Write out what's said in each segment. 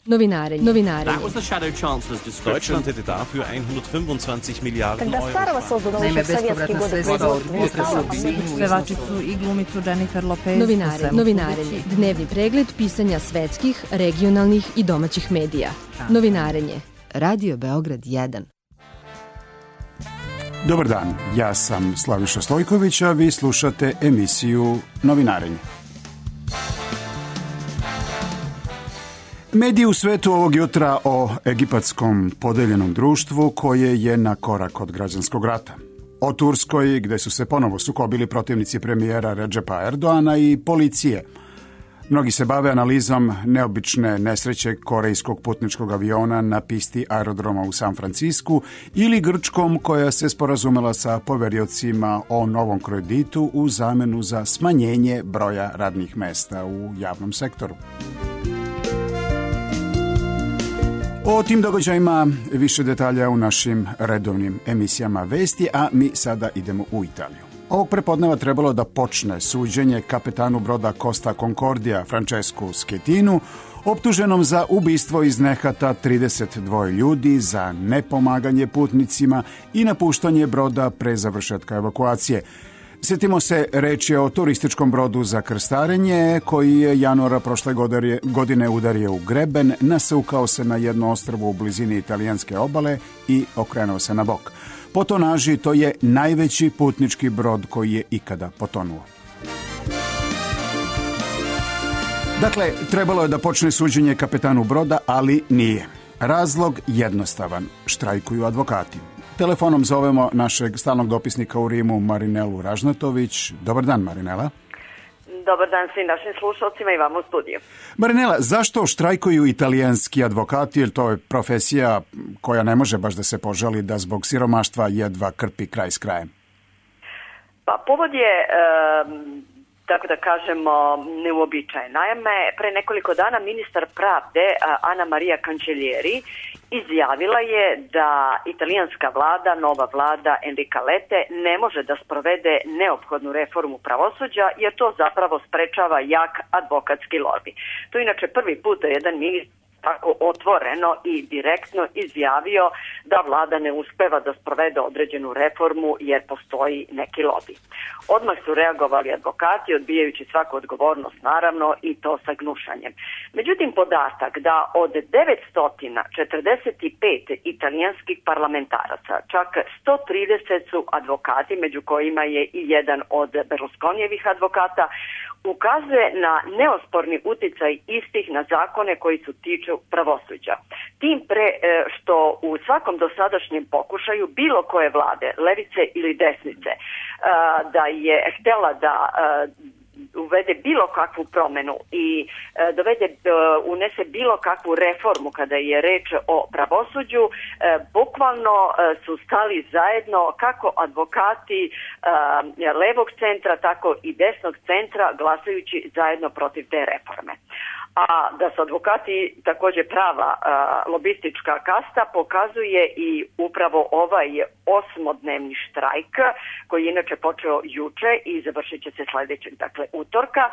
Novinare. That was the Shadow Chancellor's description. Deutschland hätte dafür 125 Milijarden Когда Euro. старого создано еще в советские годы pevačicu i glumicu Jennifer Lopez. Novinare. Dnevni pregled pisanja svetskih, regionalnih i domaćih medija. Novinarenje. Radio Beograd 1. Dobar dan, ja sam Slaviša Stojković, a vi slušate emisiju Novinarenje. Mediji u svetu ovog jutra o egipatskom podeljenom društvu koje je na korak od građanskog rata. O Turskoj, gde su se ponovo sukobili protivnici premijera Redžepa Erdoana i policije. Mnogi se bave analizom neobične nesreće korejskog putničkog aviona na pisti aerodroma u San Francisku ili Grčkom koja se sporazumela sa poveriocima o novom kreditu u zamenu za smanjenje broja radnih mesta u javnom sektoru. O tim događajima više detalja u našim redovnim emisijama vesti, a mi sada idemo u Italiju. Ovog prepodneva trebalo da počne suđenje kapetanu broda Costa Concordia Francesku Schettinu, optuženom za ubistvo iz nehata 32 ljudi, za nepomaganje putnicima i napuštanje broda pre završetka evakuacije. Sjetimo se, reč je o turističkom brodu za krstarenje koji je januara prošle godine udario u greben, nasukao se na jedno ostrvo u blizini italijanske obale i okrenuo se na bok. Po tonaži to je najveći putnički brod koji je ikada potonuo. Dakle, trebalo je da počne suđenje kapetanu broda, ali nije. Razlog jednostavan. Štrajkuju advokati. Telefonom zovemo našeg stalnog dopisnika u Rimu, Marinelu Ražnatović. Dobar dan, Marinela. Dobar dan svim našim slušalcima i vam u studiju. Marinela, zašto štrajkuju italijanski advokati, jer to je profesija koja ne može baš da se požali da zbog siromaštva jedva krpi kraj s krajem? Pa povod je, tako da kažemo, neuobičajen. Naime, pre nekoliko dana ministar pravde Ana Maria Cancellieri izjavila je da italijanska vlada, nova vlada Enrica Lette, ne može da sprovede neophodnu reformu pravosuđa jer to zapravo sprečava jak advokatski lobi. To je inače prvi put da jedan ministar tako otvoreno i direktno izjavio da vlada ne uspeva da sprovede određenu reformu jer postoji neki lobi. Odmah su reagovali advokati, odbijajući svaku odgovornost naravno i to sa gnušanjem. Međutim, podatak da od 945 italijanskih parlamentaraca, čak 130 su advokati, među kojima je i jedan od Berlusconijevih advokata, ukazuje na neosporni uticaj istih na zakone koji se tiču pravosuđa. Tim pre što u svakom dosadašnjem pokušaju bilo koje vlade, levice ili desnice, da je htela da uvede bilo kakvu promenu i unese bilo kakvu reformu kada je reč o pravosuđu, bukvalno su stali zajedno kako advokati levog centra, tako i desnog centra, glasajući zajedno protiv te reforme. A da su advokati također prava lobistička kasta pokazuje i upravo ovaj 8-dnevni štrajk koji je inače počeo juče i završit će se sljedećeg, dakle utorka,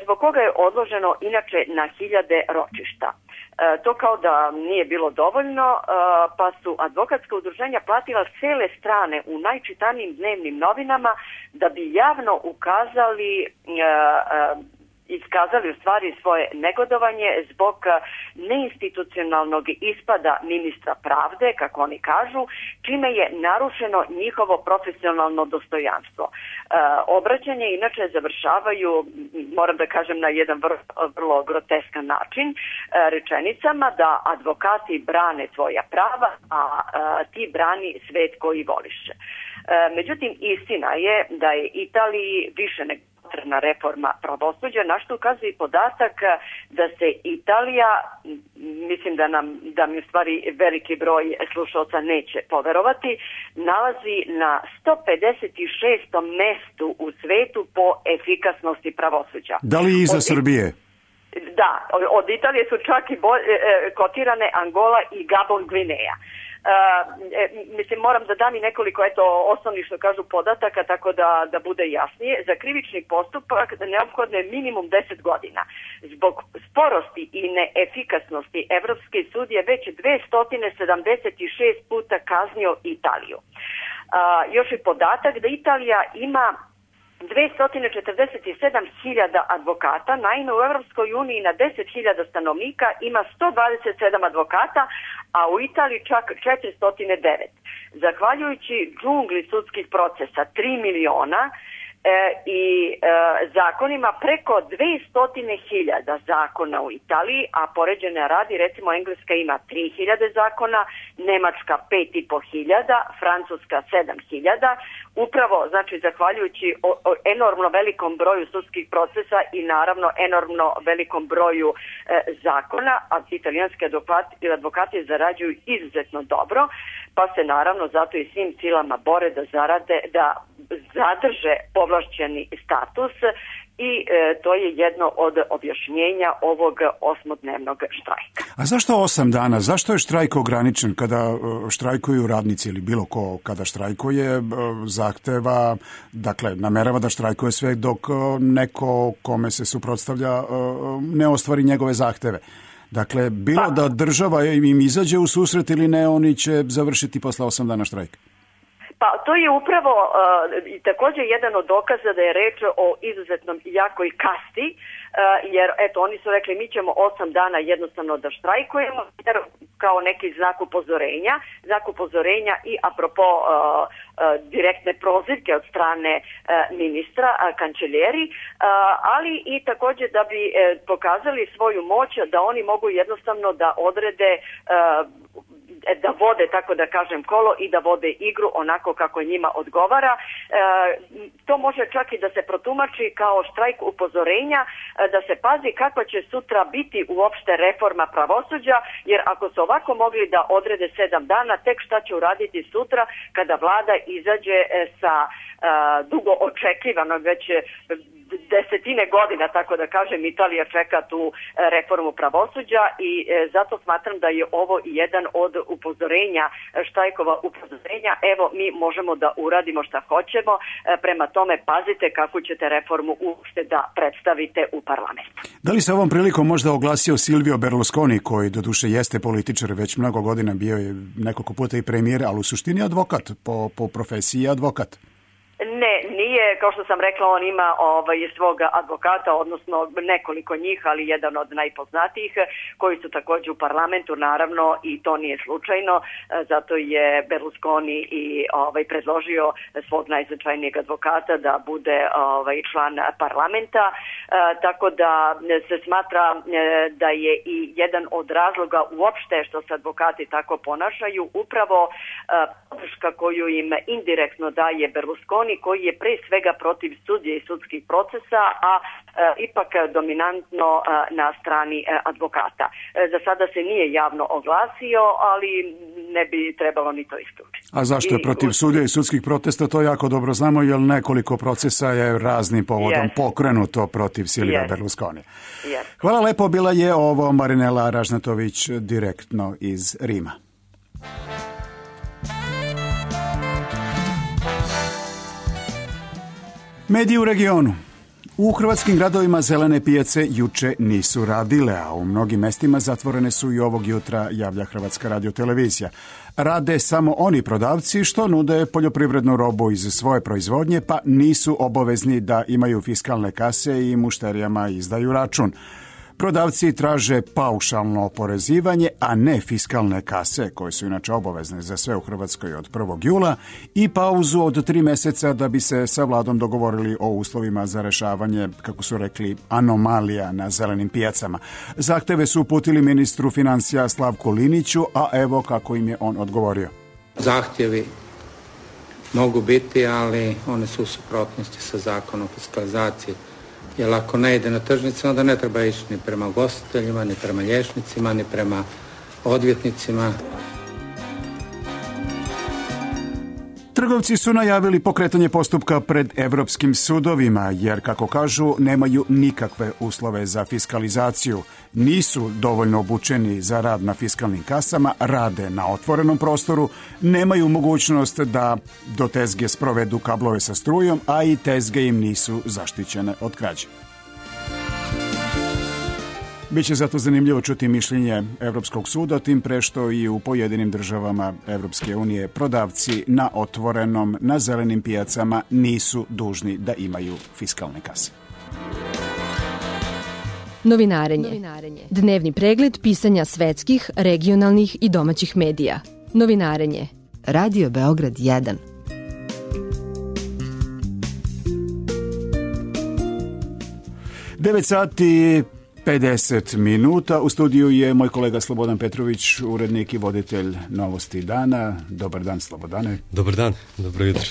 zbog koga je odloženo inače na hiljade ročišta. To kao da nije bilo dovoljno, pa su advokatska udruženja platila cele strane u najčitanijim dnevnim novinama da bi javno iskazali u stvari svoje negodovanje zbog neinstitucionalnog ispada ministra pravde, kako oni kažu, čime je narušeno njihovo profesionalno dostojanstvo. Obraćanje inače završavaju, moram da kažem, na jedan vrlo groteskan način, rečenicama da advokati brane svoja prava, a ti brani svet koji voliše. Međutim, istina je da je Italiji više nego potrebna reforma pravosuđa, na što ukazuje podatak da se Italija, mislim da mi u stvari veliki broj slušalca neće poverovati, nalazi na 156. mestu u svetu po efikasnosti pravosuđa. Da li iza Srbije? Da, od Italije su čak i kotirane Angola i Gabon, Gvineja. Mislim, moram da dam i nekoliko osnovnih, što kažu, podataka, tako da bude jasnije. Za krivični postupak neophodno je minimum 10 godina. Zbog sporosti i neefikasnosti Evropski sud je već 276 puta kaznio Italiju. Još i podatak da Italija ima 247.000 advokata, naime u Evropskoj uniji na 10.000 stanovnika ima 127 advokata, a u Italiji čak 409. Zahvaljujući džungli sudskih procesa, 3 miliona i zakonima, preko 200.000 zakona u Italiji, a poređene radi, recimo Engleska ima 3.000 zakona, Nemačka 5.500, Francuska 7.000, upravo, znači, zahvaljujući enormno velikom broju sudskih procesa i naravno enormno velikom broju zakona, a italijanski advokati zarađuju izuzetno dobro, pa se naravno zato i svim silama bore da zadrže povlašćeni status i to je jedno od objašnjenja ovog 8-dnevnog štrajka. A zašto 8 dana? Zašto je štrajk ograničen? Kada štrajkuju radnici ili bilo ko kada štrajkuje, zahteva, dakle, namerava da štrajkuje sve dok neko kome se suprotstavlja ne ostvari njegove zahteve. Dakle, bilo da država im izađe u susret ili ne, oni će završiti posle 8 dana štrajka. Pa to je upravo također jedan od dokaza da je reč o izuzetnom jakoj kasti, jer eto, oni su rekli mi ćemo 8 dana jednostavno da štrajkujemo, jer kao neki znak upozorenja i apropo direktne prozivke od strane ministra, kanceljeri, ali i također da bi pokazali svoju moć da oni mogu jednostavno da odrede da vode, tako da kažem, kolo i da vode igru onako kako njima odgovara. To može čak i da se protumači kao štrajk upozorenja, da se pazi kakva će sutra biti uopšte reforma pravosuđa, jer ako su ovako mogli da odrede 7 dana, tek šta će uraditi sutra kada vlada izađe sa dugo očekivano već desetine godina, tako da kažem, Italija čeka tu reformu pravosuđa i zato smatram da je ovo jedan od upozorenja, štrajkova upozorenja. Evo, mi možemo da uradimo šta hoćemo, prema tome pazite kako ćete reformu uopšte da predstavite u parlamentu. Da li se ovom prilikom možda oglasio Silvio Berlusconi, koji doduše jeste političar, već mnogo godina bio je nekoliko puta i premijer, ali u suštini advokat, po profesiji advokat? Ne, nije, kao što sam rekla, on ima svog advokata, odnosno nekoliko njih, ali jedan od najpoznatijih, koji su također u parlamentu, naravno, i to nije slučajno, zato je Berlusconi i predložio svog najznačajnijeg advokata da bude član parlamenta, tako da se smatra da je i jedan od razloga uopšte što se advokati tako ponašaju, upravo podrška koju im indirektno daje Berlusconi, koji je pre svega protiv sudije i sudskih procesa, a ipak dominantno na strani advokata. Za sada se nije javno oglasio, ali ne bi trebalo ni to isključiti. A zašto je protiv sudija i sudskih protesta? To jako dobro znamo, jer nekoliko procesa je raznim povodom pokrenuto protiv Silvia Berlusconi. Hvala lepo, bila je ovo Marinela Ražnatović direktno iz Rima. Mediji u regionu. U hrvatskim gradovima zelene pijace juče nisu radile, a u mnogim mestima zatvorene su i ovog jutra, javlja Hrvatska radiotelevizija. Rade samo oni prodavci što nude poljoprivrednu robu iz svoje proizvodnje, pa nisu obavezni da imaju fiskalne kase i mušterijama izdaju račun. Prodavci traže paušalno oporezivanje, a ne fiskalne kase, koje su inače obavezne za sve u Hrvatskoj od 1. jula, i pauzu od 3 meseca da bi se sa vladom dogovorili o uslovima za rešavanje, kako su rekli, anomalija na zelenim pijacama. Zahteve su uputili ministru financija Slavku Liniću, a evo kako im je on odgovorio. Zahtjevi mogu biti, ali one su u suprotnosti sa zakonom o fiskalizaciji. Jer ako ne ide na tržnice, onda ne treba ići ni prema ugostiteljima, ni prema liječnicima, ni prema odvjetnicima. Trgovci su najavili pokretanje postupka pred evropskim sudovima, jer, kako kažu, nemaju nikakve uslove za fiskalizaciju. Nisu dovoljno obučeni za rad na fiskalnim kasama, rade na otvorenom prostoru, nemaju mogućnost da do tezge sprovedu kablove sa strujom, a i tezge im nisu zaštićene od krađe. Biće zato zanimljivo čuti mišljenje Evropskog suda, tim pre što i u pojedinim državama Evropske unije prodavci na otvorenom, na zelenim pijacama nisu dužni da imaju fiskalne kase. Novinarenje. Dnevni pregled pisanja svetskih, regionalnih i domaćih medija. Novinarenje. Radio Beograd 1. Devet sati 50 minuta. U studiju je moj kolega Slobodan Petrović, urednik i voditelj Novosti dana. Dobar dan, Slobodane. Dobar dan, dobro jutro.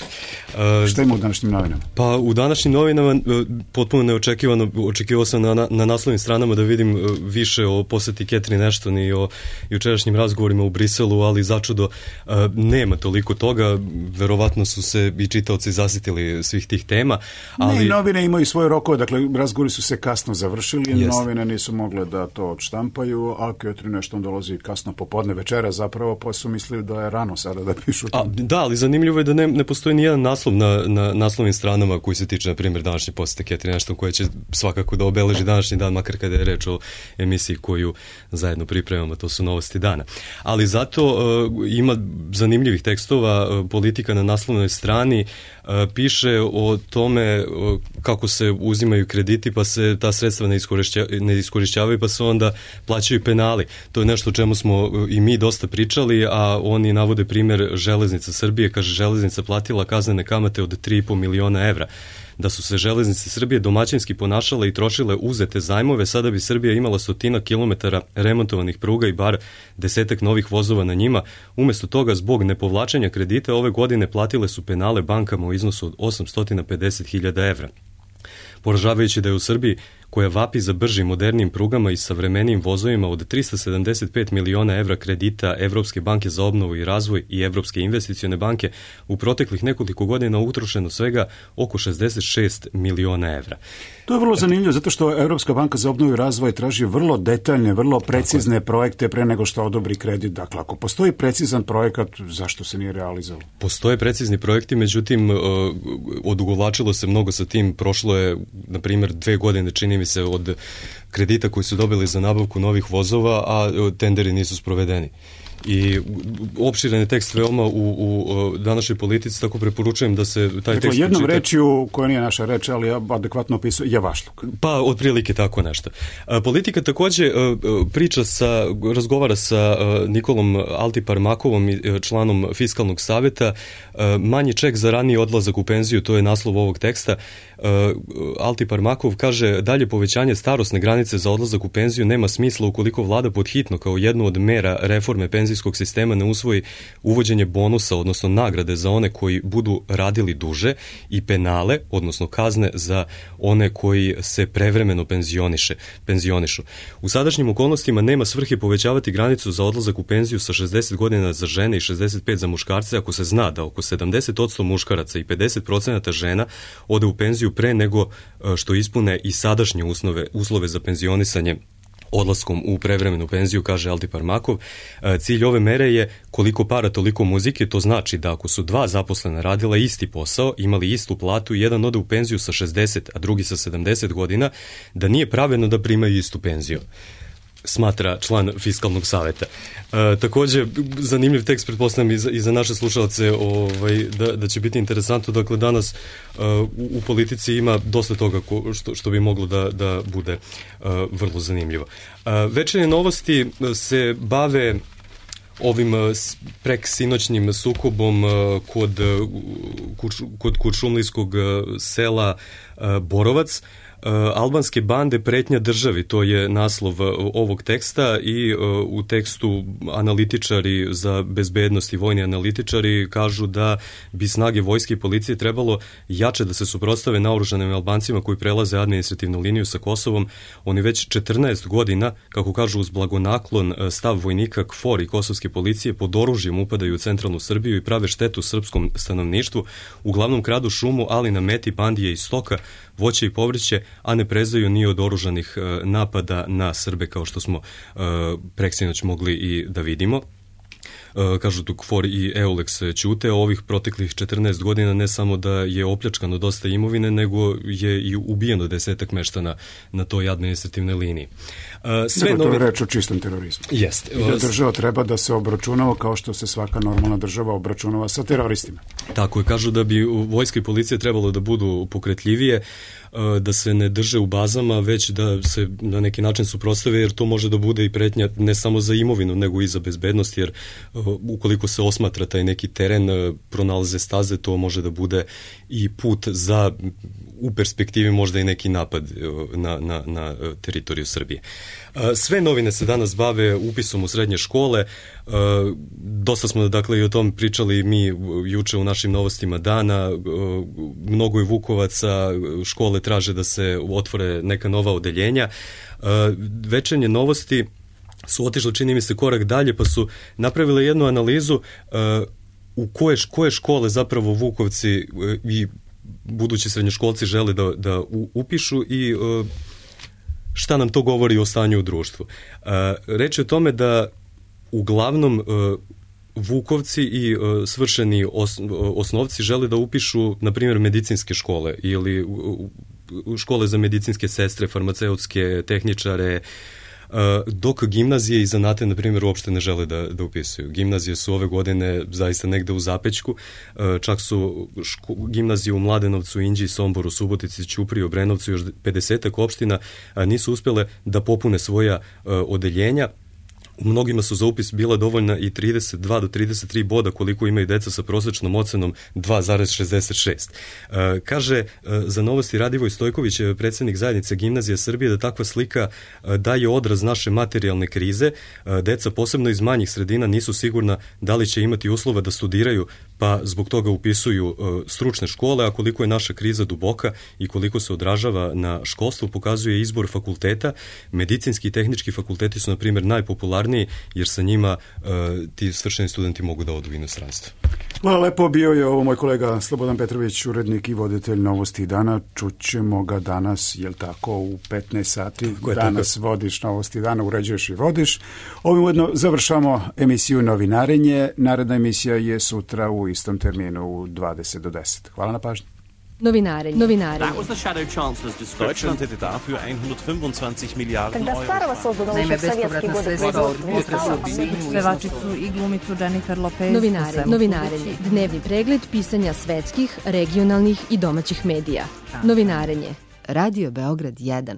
Šta ima u današnjim novinama? Pa u današnjim novinama potpuno neočekivano, očekivao sam na naslovnim stranama da vidim više o poseti Catherine Ashton i o jučerašnjim razgovorima u Briselu, ali začudo nema toliko toga. Verovatno su se i čitaoci zasitili svih tih tema. Ali... Ne, novine imaju svoje rokove, dakle razgovori su se kasno završili, novine nisu mogle da to odštampaju, a Catherine Ashton dolazi kasno popodne večera zapravo, pa su mislili da je rano sada da pišu to. Da, ali zanimljivo je da ne postoji nijedan naslov na naslovnim stranama koji se tiče, na primjer, današnje posete Catherine Ashton, koja će svakako da obeleži današnji dan, makar kada je reč o emisiji koju zajedno pripremamo, to su Novosti dana. Ali zato ima zanimljivih tekstova, Politika na naslovnoj strani piše o tome kako se uzimaju krediti pa se ta sredstva ne iskorišćavaju pa se onda plaćaju penali. To je nešto o čemu smo i mi dosta pričali, a oni navode primjer Železnica Srbije. Kaže, Železnica platila kaznene kamate od 3,5 miliona evra. Da su se Železnice Srbije domaćinski ponašale i trošile uzete zajmove, sada bi Srbija imala 100 kilometara remontovanih pruga i bar 10 novih vozova na njima. Umesto toga, zbog nepovlačenja kredita, ove godine platile su penale bankama u iznosu od 850.000 evra. Poražavajući da je u Srbiji, koja vapi za bržim, modernijim prugama i savremenijim vozovima, od 375 miliona evra kredita Evropske banke za obnovu i razvoj i Evropske investicione banke u proteklih nekoliko godina utrošeno svega oko 66 miliona evra. To je vrlo zanimljivo, zato što Evropska banka za obnovu i razvoj traži vrlo detaljne, vrlo precizne projekte pre nego što odobri kredit. Dakle, ako postoji precizan projekat, zašto se nije realizovao? Postoje precizni projekti, međutim, odugovlačilo se mnogo sa tim. Prošlo je, na primjer, 2 godine, čini mi se, od kredita koji su dobili za nabavku novih vozova, a tenderi nisu sprovedeni. I opširan je tekst veoma u današnjoj Politici, tako preporučujem da se taj tekst počita. Jednom rečju, koja nije naša reč, ali adekvatno opisuje, javašluk. Pa, otprilike tako nešto. Politika takođe razgovara sa Nikolom Altiparmakovom, članom Fiskalnog saveta. Manji ček za raniji odlazak u penziju, to je naslov ovog teksta. Altiparmakov kaže, dalje povećanje starosne granice za odlazak u penziju nema smisla ukoliko vlada podhitno kao jednu od mera reforme penzijskog sistema ne usvoji uvođenje bonusa, odnosno nagrade za one koji budu radili duže i penale, odnosno kazne za one koji se prevremeno penzionišu. U sadašnjim okolnostima nema svrhe povećavati granicu za odlazak u penziju sa 60 godina za žene i 65 za muškarce ako se zna da oko 70% muškaraca i 50% žena ode u penziju pre nego što ispune i sadašnje uslove za penzionisanje odlaskom u prevremenu penziju, kaže Altiparmakov. Cilj ove mere je koliko para toliko muzike, to znači da ako su 2 zaposlena radila isti posao, imali istu platu, jedan ode u penziju sa 60, a drugi sa 70 godina, da nije pravedno da primaju istu penziju, smatra član Fiskalnog saveta. Takođe, zanimljiv tekst, pretpostavljam i za naše slušalce, da će biti interesantno. Dakle, danas u Politici ima dosta toga što bi moglo da bude vrlo zanimljivo. Večernje novosti se bave ovim preksinoćnim sukobom kod kuršumlijskog sela Borovac. Albanske bande pretnja državi, to je naslov ovog teksta i u tekstu analitičari za bezbednost i vojni analitičari kažu da bi snage vojske i policije trebalo jače da se suprotstave naoružanim Albancima koji prelaze administrativnu liniju sa Kosovom. Oni već 14 godina, kako kažu uz blagonaklon stav vojnika KFOR i kosovske policije, pod oružjem upadaju u centralnu Srbiju i prave štetu srpskom stanovništvu, uglavnom kradu šumu, ali na meti bandije i stoka, voće i povrće, a ne prezaju ni od oružanih napada na Srbe, kao što smo preksinoć mogli i da vidimo. Kažu tu KFOR i EULEX ćute, ovih proteklih 14 godina ne samo da je opljačkano dosta imovine, nego je i ubijeno 10-ak meštana na toj administrativnoj liniji. To je reč o čistom terorizmu. Jeste. I da država treba da se obračunava kao što se svaka normalna država obračunava sa teroristima. Tako je, kažu da bi vojska i policija trebalo da budu pokretljivije, da se ne drže u bazama, već da se na neki način suprotstave, jer to može da bude i pretnja ne samo za imovinu, nego i za bezbednost, jer ukoliko se osmatra taj neki teren, pronalaze staze, to može da bude i put za, u perspektivi možda i neki napad na teritoriju Srbije. Sve novine se danas bave upisom u srednje škole. Dosta smo dakle i o tom pričali mi juče u našim novostima dana. Mnogo je Vukovaca, škole traže da se otvore neka nova odeljenja. Večernje novosti su otišle, čini mi se, korak dalje, pa su napravile jednu analizu u koje škole zapravo Vukovci i budući srednjoškolci žele da upišu i šta nam to govori o stanju u društvu. Reč je o tome da uglavnom Vukovci i svršeni osnovci žele da upišu, na primjer, medicinske škole ili škole za medicinske sestre, farmaceutske, tehničare, dok gimnazije i zanate, na primjer, uopšte ne žele da upisuju. Gimnazije su ove godine zaista negde u zapećku, čak su gimnazije u Mladenovcu, Inđiji, Somboru, Subotici, Ćupriji, Obrenovcu, još 50-ak opština nisu uspjele da popune svoja odeljenja. U mnogima su za upis bila dovoljna i 32 do 33 boda koliko imaju deca sa prosječnom ocenom 2,66. Kaže za Novosti Radivoj Stojković, predsjednik zajednice Gimnazije Srbije, da takva slika daje odraz naše materijalne krize. Deca, posebno iz manjih sredina, nisu sigurna da li će imati uslova da studiraju, pa zbog toga upisuju stručne škole, a koliko je naša kriza duboka i koliko se odražava na školstvo, pokazuje izbor fakulteta. Medicinski i tehnički fakulteti su, na primjer, najpopularniji, jer sa njima ti svršeni studenti mogu da odu u inostranstvo. Hvala lepo, bio je ovo moj kolega Slobodan Petrović, urednik i voditelj Novosti dana. Čućemo ga danas, jel tako, u 15 sati. Danas vodiš Novosti dana, uređuješ i vodiš. Ovim ujedno završamo emisiju Novinarenje. Naredna emisija je sutra u istom terminu u 20 do 10. Hvala na pažnji. Novinarenje. That was the Shadow Chancellor's description. Deutschland hätte dafür 125 Milliarden Когда старого создано Naime, еще в советские годы производства. Pevačicu i glumicu Jennifer Lopez. Novinarenje. Dnevni pregled pisanja svetskih, regionalnih i domaćih medija. Novinarenje. Radio Beograd 1.